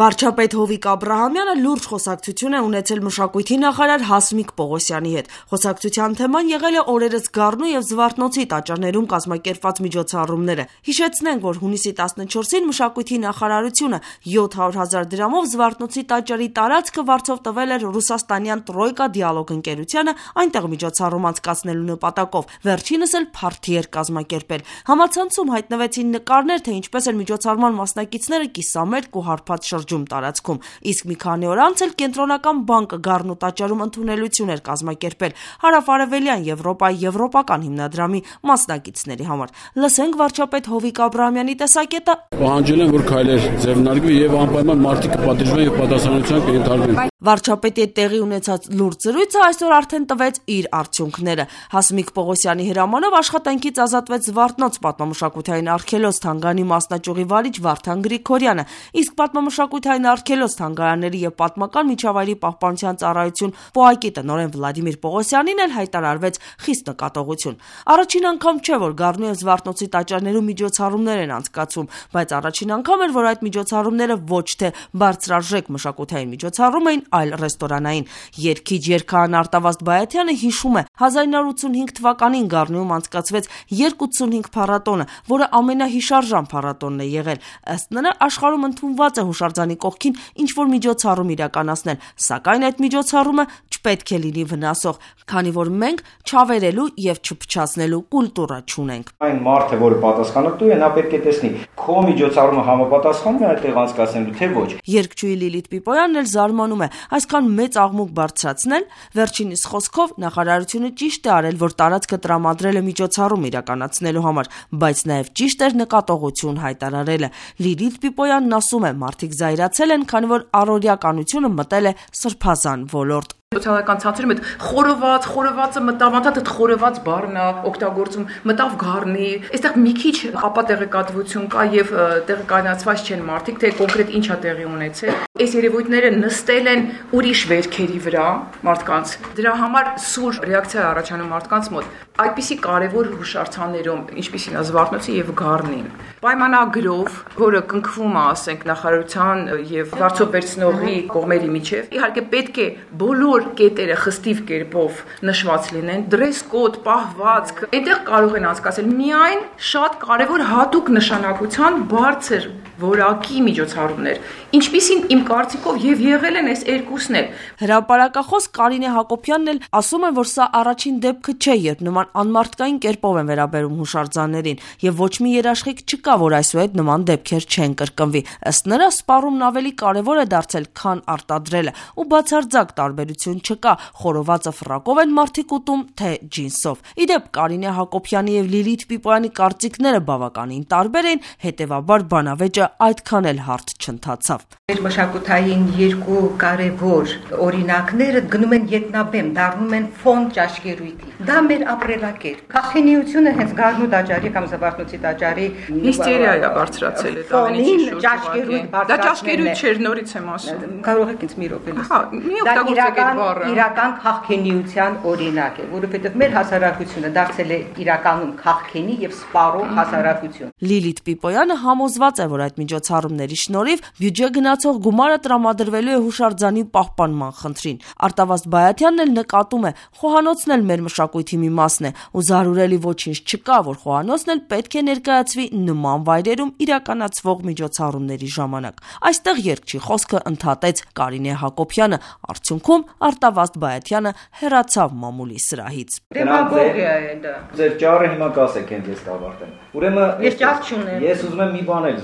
Վարչապետ Հովիկ Աբրահամյանը լուրջ խոսակցություն է ունեցել մշակույթի նախարար Հասմիկ Պողոսյանի հետ։ Խոսակցության թեման եղել է օրերս Գառնու եւ Զվարթնոցի տաճարներում կազմակերպված միջոցառումները։ Հիշեցնենք, որ հունիսի 14-ին մշակույթի նախարարությունը 700,000 դրամով Զվարթնոցի տաճարի տարածքը վարձով տվել էր ռուսաստանյան Տրոյկա դիալոգ ընկերությանը այնտեղ միջոցառում անցկացնելու նպատակով։ Վերջինս էլ փարթի էր կազմակերպել։ Համացանցում հայտնվեցին նկարներ, թե ինչպես էր միջոցառման մասնակիցները կիսամերկ ու հարբած շրջում տարածքում, իսկ մի քանի օր անց էլ Կենտրոնական բանկը Գառնու տաճարում ընդունելություն էր կազմակերպել հարավարևելյան Եվրոպայի եվրոպական հիմնադրամի մասնակիցների համար։ Լսենք վարչապետ Հովիկ Աբրահամյանի տեսակետը։ Պահանջել են, որ քայլեր ձեռնարկվի եւ անպայման մարդիկ կպատժվեն եւ պատասխանատվության կենթարկվեն։ Վարչապետի հետ տեղի ունեցած լուրջ զրույցը այսօր արդեն տվեց իր արդյունքները։ Հասմիկ Պողոսյանի հրամանով աշխատանքից ազատվեց Զվարթնոց պատմամշակութային արգելոց թանգարանի մասնաճյուղի վարիչ Վարդան Գրիգորյանը, իսկ պատմամշակութային արգելոց թանգարանների եւ պատմական միջավայրի պահպանության ծառայություն ՊՕԱԿ-ի տնօրեն Վլադիմիր Պողոսյանին էլ հայտարարվեց խիստ նկատողություն։ Առաջին անգամ չէ, որ Գառնու եւ Զվարթնոցի տաճարներում միջոցառումներ են անցկացվում, բայց առաջին անգամ էր, որ այդ միջոցառումները ոչ թե բարձրարժեք մշակութային միջոցառում էին, այլ ռեստորանային։ Երգիչ երգահան Արտավազդ Բայաթյանը հիշում է 1985 թվականին Գառնուում անցկացվեց 285 փառատոնը, որը ամենահիշարժան փառատոնն է եղել։ Ըստ նրա աշխարհում ընդունված է հուշարձանի կողքին ինչ-որ միջոցառում իրականացնել, սակայն այդ միջոցառումը չպետք է լինի վնասող, քանի որ մենք չավերելու եւ չփչացնելու կուլտուրա չունենք։ Այն մարդը, որը պատասխանատու է, նա պետք է տեսնի քո միջոցառումը համապատասխանում է այդտեղ անցկացնելու, թե ոչ։ Երգչուհի Լիլիթ Պիպոյանն էլ զարմանում է այսքան մեծ աղմուկ բարձրացնել, վերջինիս խոսքով նախարարությունը ճիշտ է արել, որ տարածքը տրամադրել է միջոցառում իրականացնելու համար, բայց նաև ճիշտ էր նկատողություն հայտարարելը։ Լիլիթ Պիպոյանն ասում է, մարդիկ զայրացել են, քանի որ առօրյականությունը մտել է սրբազան ոլորտ։ Սոցիալական ցանցերում այդ խորովածը մտավ, այդ խորոված բառն է օգտագործում, մտավ Գառնի։ Այստեղ մի քիչ ապա տեղեկատվություն կա եւ տեղեկանացված չեն մարդիկ, թե կոնկրետ ինչ է տեղի ունեցել։ Այս երևույթները նստել են ուրիշ վերքերի վրա մարդկանց։ Դրա համար սուր ռեակցիա առաջանում մարդկանց մոտ։ Այդպիսի կարևոր հուշարձաններում, ինչպիսին է Զվարթնոցի եւ Գառնին, պայմանագրով, որը կնքվում է, ասենք, նախարարության եւ վարձով վերցնողի կողմերի միջեւ, իհարկե պետք է բոլոր կետերը խստիվ կերպով նշված լինեն, դրես կոդ, պահվածք, այնտեղ կարող են անցկացնել միայն շատ կարևոր հատուկ նշանակության բարձր որակի միջոցառումներ, ինչպիսին իմ կարծիքով եւ եղել են այս երկուսն էլ։ Հրապարակախոս Կարինե Հակոբյանն էլ ասում է, որ սա առաջին դեպքը չէ, երբ նման անմարդկային կերպով են վերաբերում հուշարձաններին, եւ ոչ մի երաշխիք չկա, որ այսուհետ նման դեպքեր չեն կրկնվի։ Ըստ նրա, սպառումն ավելի կարևոր է դարձել, քան արտադրելը, ու բացարձակ տարբերություն չկա, խորովածը ֆրակով են մարդիկ ուտում, թե ջինսով։ Իդեպ Կարինե Հակոբյանի եւ Լիլիթ Պիպոյանի կարծիքները բավականին տարբեր են, հետեւաբար բանավեճը այդքան էլ հարթ չընթացավ։ Մեր մշակութային երկու կարևոր օրինակները գնում են ետնաբեմ, դառնում են ֆոն ճաշկերույթի։ Դա մեր ապրելակերպ։ Քաղաքնիությունը հենց Գառնու տաճարի կամ Զվարթնոցի տաճարի հիստերիա է բարձրացել այդ ամենի շուրջ։ Ճաշկերույթ բարձրացնելն է։ Դա ճաշկերույթ չէր, նորից եմ ասում։ Կարող եք ինձ մի րոպե լսել։ Հա, մի օգտագործեք այդ բառը։ Իրական քաղաքնիության օրինակ է, որովհետև մեր հասարակությունը դարձել է իրականում քաղաքենի եւ սպառող հասարակություն։ Լիլիթ Պիպոյանը համոզված է, որ այդ միջոցառումների շնորհիվ բյուջե գնացող գումարը տրամադրվելու է հուշարձանի պահպանման խնդրին։ Արտավազդ Բայաթյանն էլ նկատում է, խոհանոցն էլ մեր մշակույթի մի մասն է, ու զարուրելի ոչինչ չկա, որ խոհանոցն էլ պետք է ներկայացվի նման վայրերում իրականացվող միջոցառումների ժամանակ։ Այստեղ երգչի խոսքը ընդհատեց Կարինե Հակոբյանը, արդյունքում Արտավազդ Բայաթյանը հեռացավ մամուլի սրահից։ Դեմագոգիա է դա։ Ձեր ճառը հիմա կասեք հենց ես կավարտեմ։ Ուրեմն ես ճառ չունեմ։ Ես ուզում եմ մի բան էլ։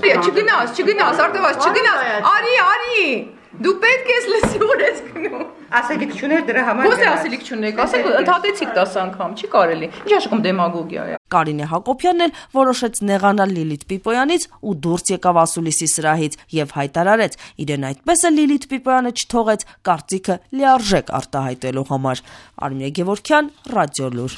Չգնաս, Արտավազդ, չգնաս։ Արի։ Դու պետք ես լսի որ ես գնում։ Ասելիք չուներ դրա համար։ Ո՞նց է ասելիք չունեք։ Ասեք ընդհատեցիք 10 անգամ, չի կարելի։ Ինչ աշխատում դեմագոգիա է։ Կարինե Հակոբյանն էլ որոշեց նեղանալ Լիլիթ Պիպոյանից ու դուրս եկավ ասուլիսի սրահից եւ հայտարարեց, իրեն այդպես է Լիլիթ Պիպոյանը չթողեց կարծիքը լիարժեք արտահայտելու համար։ Արմինե Գևորգյան, Ռադիոլուր։